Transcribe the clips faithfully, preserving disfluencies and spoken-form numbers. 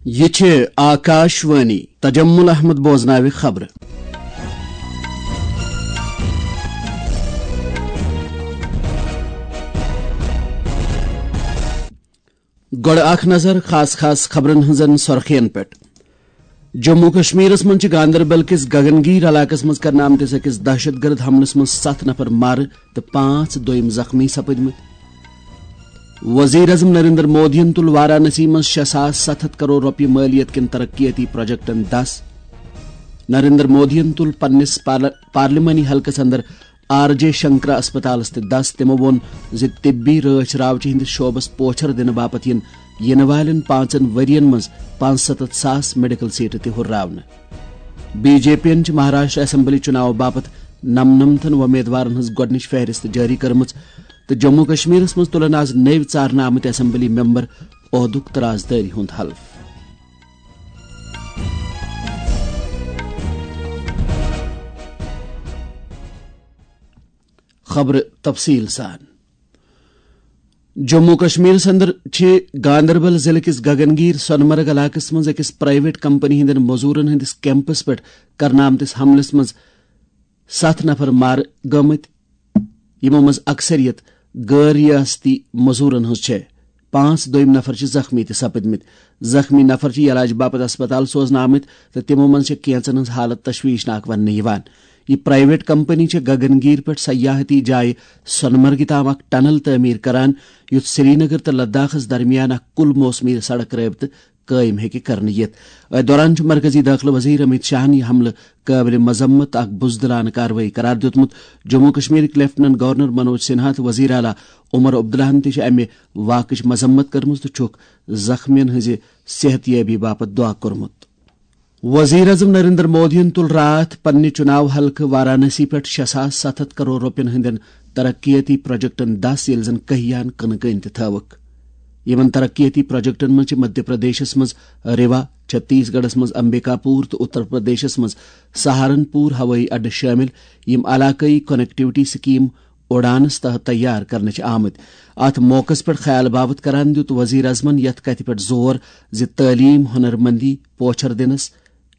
یہِ چھِ آکاش وانی۔ تجمل احمد بوزناوِ خبرٕ۔ گۄڈٕ اکھ نظر خاص خاص خبرن ہٕنٛزن سرخین پٮ۪ٹھ۔ جموں کشمیرس منٛز چھِ گاندربل کِس گگنگیر علاقس منٛز کرنہٕ آمتِس أکِس دہشت گرد حملس منٛز ستھ نفر مارٕ تہٕ پانٛژھ دوٚیِم زخمی سپٕدمٕتۍ۔ وزیر اعظم نریندر مودیَن تُل وارانسی منٛز شےٚ ساس ستھ ہتھ کرور رۄپیہِ مٲلیت کٮ۪ن ترقیتی پروجیکٹن دس۔ نریندر مودیَن تُل پننِس پارل-، پارلیمانی حلقس اندر آر جے شنکرا اسپتالس تہِ دس۔ تِمو ووٚن زِ طبی رٲچھ راوچہِ ہٕنٛدِس شعبس پوچھر دِنہٕ باپتھ یِن یِنہٕ والٮ۪ن پانٛژن ؤرین منٛز پانٛژستتھ ساس میڈیکل سیٹہٕ تہِ ہُرراونہٕ۔ بی جے پی یَن چھِ مہاراشٹر اسمبلی چُناو باپتھ نمنمتھن وۄمیدوارن ہٕنٛز گۄڈٕنِچ فہرست جٲری کٔرمٕژ تہٕ جموں کشمیرس منٛز تُلن آز نٔوۍ ژارنہٕ آمٕتۍ اسمبلی ممبر عہدُک ترازدٲری ہُنٛد حلف۔ خبرٕ تفصیٖل سان۔ جموں کشمیرس اندر چھِ گاندربل ضلعہٕ کِس گگنگیر سۄنمرگ علاقس منٛز أکِس پرائیویٹ کمپنی ہٕنٛدٮ۪ن مزوٗرن ہٕنٛدِس کیمپس پٮ۪ٹھ کرنہٕ آمتِس حملس منٛز ستھ نفر مارٕ گٲمٕتۍ، یِمو منٛز اکثریت غٲر ریاستی مزوٗرن ہٕنٛز چھےٚ۔ پانٛژھ دوٚیِم نفر چھِ زخمی تہِ سپٕدمٕتۍ۔ زخمی نفر چھِ علاج باپتھ اسپتال سوزنہٕ آمٕتۍ تہٕ تِمو منٛز چھےٚ کینٛژن ہٕنٛز حالت تشویشناک وننہٕ یِوان۔ یہِ پرائیویٹ کمپنی چھےٚ گگنگیر پٮ۪ٹھ سیاحتی جایہِ سۄنمرگہِ تام اکھ ٹنل تعمیٖر کران، یُتھ سرینگر تہٕ لداخس درمیان اکھ کُل موسمی سڑک رٲبطہٕ قٲیِم ہیٚکہِ کرنہٕ یِتھ۔ أتھۍ دوران چھُ مرکزی دٲخلہٕ وزیر امیت شاہن یہِ حملہٕ قٲبلِ مذمت تہٕ اکھ بزدلانہٕ کاروٲیی قرار دیُتمُت۔ جموں کشمیرٕکۍ لیفٹیننٹ گورنر منوج سنہا تہٕ وزیر اعلیٰ عمر عبداللہن تہِ چھِ امہِ واقعٕچ مذمت کٔرمٕژ تہٕ چھُکھ زخمیَن ہٕنٛزِ صحت یٲبی باپتھ دعا کوٚرمُت۔ وزیر اعظم نریندر مودیَن تُل راتھ پننہِ چُناو حلقہٕ وارانسی پٮ۪ٹھ شےٚ ساس ستھ ہتھ کرور رۄپین ہٕنٛدٮ۪ن ترقیتی پروجیکٹن دس، ییٚلہِ زن کٔہیان کٕنہٕ کٔنۍ تہِ تھٲوٕکھ۔ یِمن ترقیتی پروجیکٹن منٛز چھِ مدھیہ پردیشس منٛز ریوا، چھتیس گڑھس منٛز امبیکاپور تہٕ اتر پردیشس منٛز سہارنپور ہوٲیی اڈٕ شٲمِل، یِم علاقٲیی کنیکٹیویٹی سکیم اُڑانس تحت تیار کرنہٕ چھِ آمٕتۍ۔ اتھ موقعس پٮ۪ٹھ خیال باوت کران دیُت وزیر اعظمن یتھ کتھِ پٮ۪ٹھ زور زِ تعلیم، ہنرمندی، پوچھر دِنس،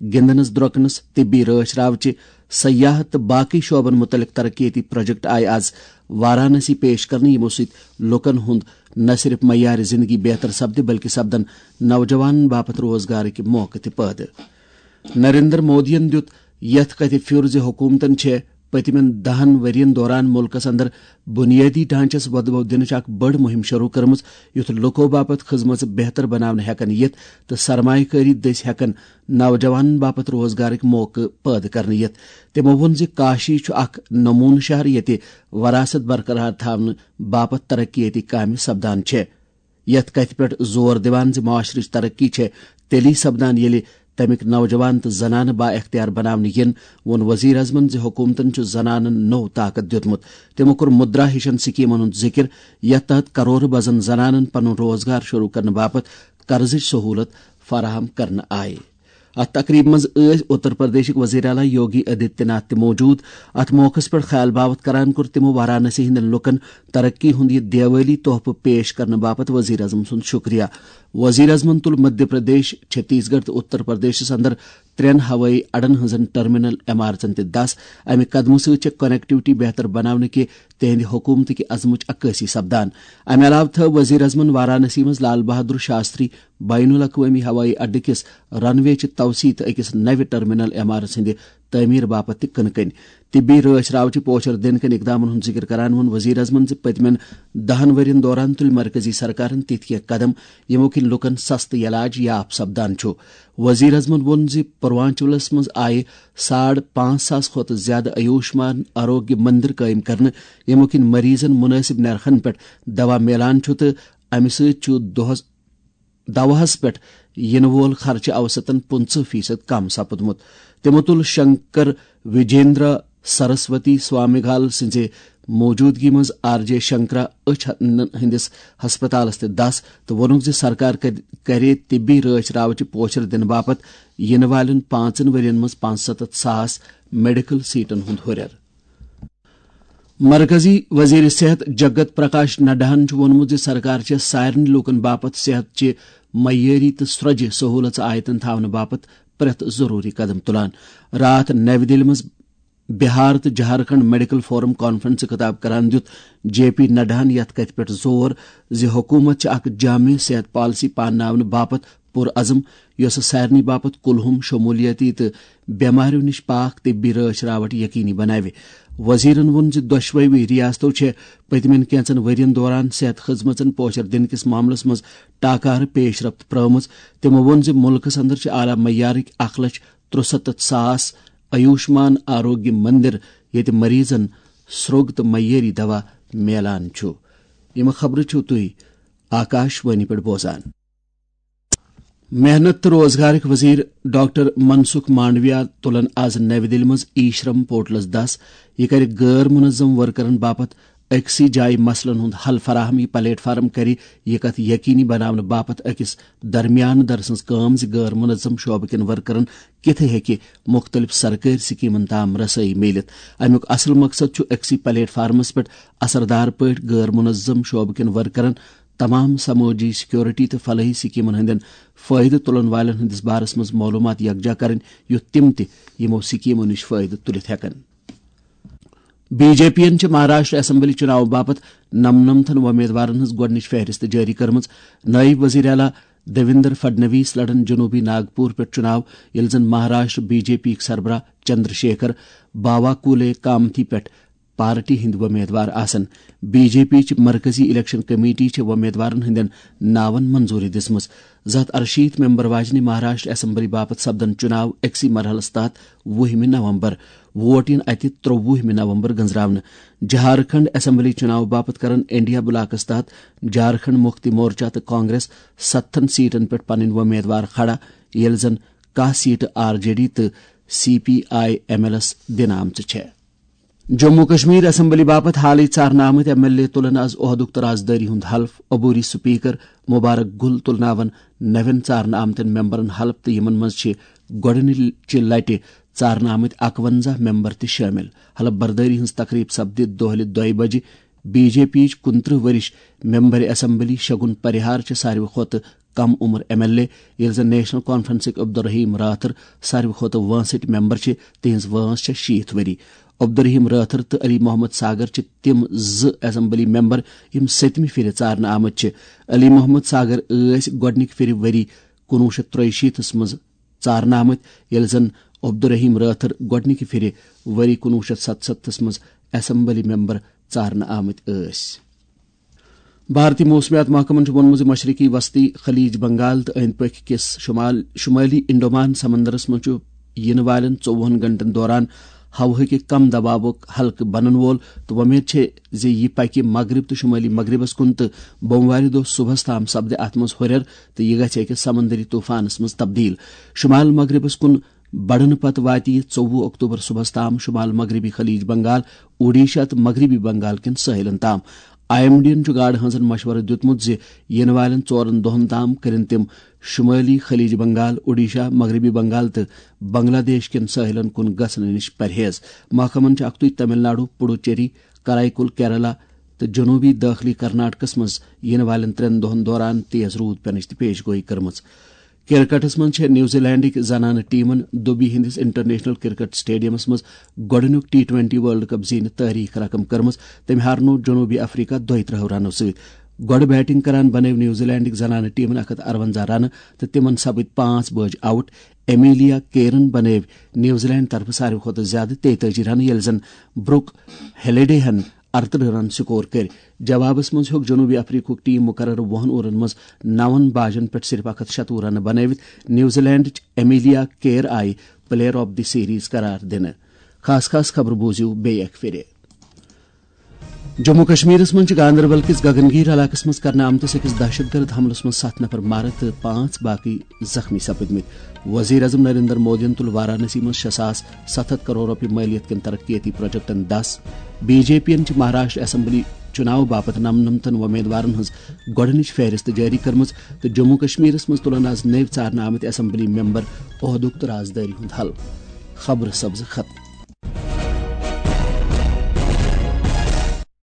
گِنٛدنَس درٛۄکنَس، طبی رٲچھ راوچہِ، سیاحت تہٕ باقٕے شعبن مُتعلق ترقیتی پروجیکٹ آیہِ آز وارانسی پیش کرنہٕ، یِمو سۭتۍ لوٗکَن ہُنٛد نہ صرف معیار زندگی بہتر سپدِ، بلکہِ سپدن نوجوانَن باپتھ روزگارٕکۍ موقعہٕ تہِ پٲدٕ۔ نریندر مودیَن دیُت یَتھ کَتھِ پھیُر زِ حکوٗمتَن چھےٚ پٔتمٮ۪ن دَہَن ؤرۍ یَن دوران مُلکَس اندر بُنیٲدی ڈھانچس وۄدبو دِنٕچ اکھ بٔڑ مُہِم شروٗع کٔرمٕژ، یُتھ لُکو باپتھ خدمژٕ بہتر بناونہٕ ہٮ۪کن یِتھ تہٕ سرمایہ کٲری دٔسۍ ہٮ۪کن نوجوانن باپتھ روزگارٕکۍ موقعہٕ پٲدٕ کرنہٕ یِتھ۔ تِمو ووٚن زِ کاشی چھُ اکھ نموٗنہٕ شہر، ییٚتہِ وراثت برقرار تھاونہٕ باپتھ ترقیتی کامہِ سپدان چھےٚ۔ یَتھ کَتھِ پٮ۪ٹھ زور دِوان زِ معاشرٕچ ترقی چھےٚ تیٚلی سپدان، ییٚلہِ تَمِکۍ نوجوان تہٕ زنانہٕ با اختیار بناونہٕ یِن، ووٚن وزیر اعظمن زِ حکوٗمتن چھُ زنانن نوٚو طاقت دیُتمُت۔ تِمو کوٚر مدرا ہِشن سکیمن ہُنٛد ذِکر، یَتھ تحت کرورٕ بزن زنانن پنُن روزگار شروع کرنہٕ باپتھ قرضٕچ سہوٗلت فراہم کرنہٕ آیہِ۔ اتھ تقریبہِ منٛز ٲسۍ اتر پردیشٕکۍ وزیر اعلیٰ یوگی آدتیہ ناتھ تہِ موجود۔ اتھ موقعس پٮ۪ٹھ خیال باوت کران کوٚر تِمو وارانسی ہٕنٛدٮ۪ن لوٗکن ترقی ہُنٛد یہِ دیوٲلی تحفہٕ پیش کرنہٕ باپتھ وزیر اعظم سُنٛد شُکریہ۔ وزیر اعظمن تُل مدھیہ پردیش، چھتیس گڑھ تہٕ اتر پردیشس اندر ترٛٮ۪ن ہوٲیی اڈن ہٕنٛزن ٹرمینل عمارژن تہِ دس۔ امہِ قدمہٕ سۭتۍ چھےٚ کنیکٹیویٹی بہتر بناونہٕ کہِ تِہنٛدِ حکوٗمتٕکہِ عزمٕچ عکٲسی سپدان۔ امہِ علاوٕ تھٲو وزیر اعظمن وارانسی منٛز لال بہادر شاستری بین الاقوٲمی ہوٲیی اڈٕ کِس رن وے چہِ توسیع تہٕ أکِس نوِ ٹرمینل عمارژ ہٕنٛدِ تعمیٖر باپتھ تہِ کٕنہٕ کٔنۍ۔ طبی رٲچھ راوچہِ پوچھر دِنہٕ کٮ۪ن اقدامن ہُنٛد ذِکر کران ووٚن وزیر اعظمن زِ پٔتمٮ۪ن دَہَن ؤرۍ یَن دوران تُلۍ مرکزی سرکارن تِتھۍ کینٛہہ قدم، یِمو کِنۍ لوٗکن سستہٕ علاج یاپ سپدان چھُ۔ وزیر اعظمن ووٚن زِ پوروانچلس منٛز آیہِ ساڑ پانٛژھ ساس کھۄتہٕ زِیٛادٕ آیوشمان آروگیہ مندر قٲیِم کرنہٕ، یِمو کِنۍ مریضن مُنٲسِب نرخن پٮ۪ٹھ دوا میلان چھُ تہٕ امہِ سۭتۍ چھُ دۄہس دواہس پٮ۪ٹھ یِنہٕ وول خرچہٕ اوسطن پٕنٛژٕہ فیصد کم سپُدمُت۔ تِمو تُل شنکر وجیندرا سرسوتی سوامیگال سٕنٛزِ موجودگی منٛز آر جے شنکرا أچھ ہٕنٛدِس ہسپتالس تہِ دس تہٕ ووٚنُکھ زِ سرکار کر-، کرِ طبی رٲچھ راوچہِ پوچھر دِنہٕ باپتھ یِنہٕ والٮ۪ن پانٛژن ؤرۍ یَن منٛز پانٛژستتھ ساس میڈیکل سیٹن ہُنٛد ہُرٮ۪ر۔ مرکزی وزیر صحت جگت پرکاش نڈاہن چھُ ووٚنمُت زِ سرکار چھےٚ سارنٕے لوٗکن باپتھ صحت چہِ معیٲری تہٕ سرٛۄجہِ سہوٗلژٕ آیتن تھاونہٕ باپتھ پرٛٮ۪تھ ضروٗری قدم تُلان۔ راتھ نَوِ دِلہِ منٛز بِہار تہٕ جھارکھنڈ میڈیکل فورم کانفرنسہِ خطاب کران دیُت جے پی نڈاہن یتھ کتھِ پٮ۪ٹھ زور زِ حکوٗمت چھِ اکھ جامع صحت پالیسی پانناونہٕ باپتھ پُرعزم، یۄسہٕ سارنٕے باپتھ کُلہُم، شمولیتی تہٕ بٮ۪ماریو نِش پاک طبی رٲچھ راوٹھ یقینی بناوِ۔ وزیرن ووٚن زِ دۄشوٕے ریاستو چھےٚ پٔتمٮ۪ن کینژن ؤرین دوران صحت خدمژن پوچھر دِنہٕ کِس معاملس منٛز ٹاکارٕ پیش رفت پرٲومٕژ۔ تِمو ووٚن زِ مُلکس اندر چھِ اعلیٰ معیارٕکۍ اکھ لچھ ترُسَتتھ ساس آیوشمان آروگیہ مندر، ییٚتہِ مریضن سرٛوگ تہٕ معیٲری دوا میلان چھُ۔ یِم خبرٕ چھِو تُہۍ آکاش وانی پٮ۪ٹھ بوزان۔ محنت تہٕ روزگارٕکۍ وزیر ڈاکٹر منسکھ مانڈویا تُلن آز نَوِ دِلہِ منٛز ای شرم پورٹلس دَس۔ یہِ کرِ غٲر منظم ورکرن باپتھ أکسٕے جایہِ مسلن ہُنٛد حل فراہم۔ یہِ پلیٹ فارم کرِ یہِ کتھ یقینی بناونہٕ باپتھ أکِس درمیان در سٕنٛز کٲم زِ غٲر منظم شعبہٕ کٮ۪ن ورکرن کِتھہٕ ہیٚکہِ مُختٔلِف سرکٲرۍ سکیمن تام رسٲیی میٖلِتھ۔ امیُک اصل مقصد چھُ أکسٕے پلیٹ فارمس پٮ۪ٹھ اثردار پٲٹھۍ غٲر منظم شعبہٕ کٮ۪ن ورکرن تمام سمٲجی سیکورٹی تہٕ فلاحی سکیمن ہٕنٛدٮ۪ن فٲیدٕ تُلن والٮ۪ن ہٕنٛدِس بارس منٛز معلوٗمات یکجا کرٕنۍ، یُتھ تِم تہِ یِمو سکیمو نِش فٲیدٕ تُلِتھ ہٮ۪کن۔ بی جے پی یَن چھِ مہاراشٹر اسمبلی چُناو باپتھ نَمنَمتھن وۄمیدوارن ہٕنٛز گۄڈٕنِچ فہرست جٲری کٔرمٕژ۔ نٲیِب وزیر اعلیٰ دیویندر فڈنویس لڑن جنوبی ناگپور پٮ۪ٹھ چُناو، ییٚلہِ زن مہاراشٹر بی جے پی یِکۍ سربراہ چندر شیکھر باواکولے کامتھی پٮ۪ٹھ پارٹی ہٕنٛدۍ وۄمیدوار آسن۔ بی جے پی چہِ مرکزی الیکشن کمیٹی چھےٚ وۄمیدوارن ہٕنٛدٮ۪ن ناون منظوٗری دِژمٕژ۔ زٕ ہتھ ارشیٖتھ ممبر واجنہِ مہاراشٹر اسمبلی باپتھ سپدن چُناو أکسٕے مرحلس تحت وُہمہِ نومبر۔ ووٹ یِن اتہِ ترٛووُہمہِ نومبر گنزراونہٕ۔ جھارکھنڈ اسمبلی چُناو باپتھ کرن انڈیا بلاکس تحت جھارکھنڈ مُکتی مورچہ تہٕ کانگریس ستتھن سیٹن پٮ۪ٹھ پنٕنۍ وۄمیدوار کھڑا، ییٚلہِ زن کاہ سیٹہٕ آر جے ڈی تہٕ C P I M L ایس دِنہٕ آمژٕ چھےٚ۔ جموں کشمیر اسمبلی باپتھ حالٕے ژارنہٕ آمٕتۍ ایم ایل اے تُلن از عہدُک تہٕ رازدٲری ہُنٛد حلف۔ عبوری سپیکر مبارک گل تُلناون نوٮ۪ن ژارنہٕ آمتٮ۪ن ممبرن حلف تہٕ یِمن منٛز چھِ گۄڈٕنِچہِ لٹہِ ژارنہٕ آمٕتۍ اکونزہ ممبر تہِ شٲمِل۔ حلف بردٲری ہٕنٛز تقریب سپدِ دۄہلہِ دۄیہِ بجہِ۔ بی جے پی یِچ کُنترٕہ ؤرِش ممبر اسمبلی شگن پریہار چھِ ساروی کھۄتہٕ کم عمر ایم ایل اے، ییٚلہِ زن نیشنل کانفرنسٕکۍ عبدالرحیم راتھر ساروی کھۄتہٕ وٲنٛسٕٹۍ ممبر چھِ، تِہنٛز وٲنٛس چھےٚ شیٖتھ ؤری۔ عبدالرحیم رٲتھر تہٕ علی محمد ساگر چھِ تِم زٕ اسمبلی ممبر یِم سٔتمہِ پھِرِ ژارنہٕ آمٕتۍ چھِ۔ علی محمد ساگر ٲسۍ گۄڈٕنِکہِ پھِرِ ؤری کُنوُہ شیٚتھ ترٛیہِ شیٖتس منٛز ژارنہٕ آمٕتۍ، ییٚلہِ زن عبدالرحیم رٲتھر گۄڈٕنِکہِ پھِرِ ؤری کُنوُہ شیٚتھ ستستھس منٛز اسمبلی ممبر ژارنہٕ آمٕتۍ ٲسۍ۔ بھارتی موسمیات محکمن چھُ ووٚنمُت زِ مشرقی وسطی خلیج بنگال تہٕ أنٛدۍ پٔکۍ کِس شمال، شمٲلی انڈمان سمندرس منٛز چھُ یِنہٕ والٮ۪ن ژوٚوُہن گھنٹن دوران ہوہٕکہِ کم دباوُک حلقہٕ بنن وول، تہٕ وۄمید چھےٚ زِ یہِ پکہِ مغرب تہٕ شمٲلی مغربس کُن تہٕ بوموارِ دۄہ صبحس تام سپدِ اتھ منٛز ہُرٮ۪ر تہٕ یہِ گژھِ أکِس سمندری طوفانس منٛز تبدیل۔ شمال مغربس کُن بڑنہٕ پتہٕ واتہِ یہِ ژوٚوُہ اکتوبر صبحس تام شمال مغربی خلیج بنگال، اوڈیشہ تہٕ مغربی بنگال کٮ۪ن ساحلن تام۔ آئی ایم ڈی ین چھُ گاڈٕ ہٲنزن مشورٕ دیُتمُت زِ یِنہٕ والٮ۪ن ژورن دۄہن تام کٔرِن تِم شمٲلی خلیج بنگال، اوڈیشہ، مغربی بنگال تہٕ بنگلہ دیش کٮ۪ن ساحلن کُن گژھنہٕ نِش پرہیز۔ محکمن چھُ اکھتُے تمل ناڈو، پڈوچیری، کرائیکل، کیرالہ تہٕ جنوبی دٲخلی کرناٹکس منٛز یِنہٕ والٮ۪ن ترٛٮ۪ن دۄہن دوران تیز روٗد پینٕچ تہِ پیش گویی کٔرمٕژ۔ کرکٹس منٛز چھےٚ نیوزی لینڈٕکۍ زنانہٕ ٹیمن دُبی ہٕنٛدِس انٹرنیشنل کرکٹ سٹیڈیمس منٛز گۄڈٕنیُک ٹی ٹوینٹی ورلڈ کپ زینِتھ تٲریخ رقم کٔرمٕژ۔ تٔمۍ ہارنوو جنوبی افریقہ دۄیہِ ترٛہو رنو سۭتۍ۔ گۄڈٕ بیٹنگ کران بنٲو نیوزی لینڈٕکۍ زنانہٕ ٹیمن اکھ ہتھ ارونزہ رنہٕ تہٕ تِمن سپٕدۍ پانٛژھ بٲج آؤٹ۔ ایمیلیا کیرن بنٲو نیوزی لینڈ طرفہٕ ساروی کھۄتہٕ زیادٕ تیتٲجی رنہٕ، ییٚلہِ زن بروک ہیلیڈے ہن ارترٕہ رن سکور کٔرۍ۔ جوابس منٛز ہیوٚک جنوبی افریقہُک ٹیم مقررٕ وُہن اوورن منٛز نون باجن پٮ۪ٹھ صرف اکھ ہتھ شتوُہ رنہٕ بنٲوِتھ نیوزی لینڈٕچ ایمیلیا کیر آیہِ پلیئر آف دی سیریز قرار دِنہٕ۔ خاص خاص خبرٕ بوٗزِو بیٚیہِ اکہِ پھِرِ۔ جموں کشمیرس منٛز چھِ گاندربل کِس گگن گیٖر علاقس منٛز کرنہٕ آمتِس أکِس دہشت گرد حملس منٛز ستھ نفر مارٕ تہٕ پانٛژھ باقٕے زخمی سپٕدمٕتۍ۔ وزیر اعظم نریندر مودیَن تُل وارانسی منٛز شےٚ ساس ستھ ہتھ کرور رۄپیہِ مٲلیت کٮ۪ن ترقیتی پروجیکٹن دَس۔ بی جے پی یَن چھِ مہاراشٹر اسمبلی چُناو باپتھ نَمنَمتھن وۄمیدوارن ہٕنٛز گۄڈٕنِچ فہرست جٲری کٔرمٕژ تہٕ جموں کشمیرس منٛز تُلن آز نٔوۍ ژارنہٕ آمٕتۍ اسمبلی ممبر عہدُک تہٕ رازدٲری ہُنٛد حل۔ خبرٕ سبزٕ ختم۔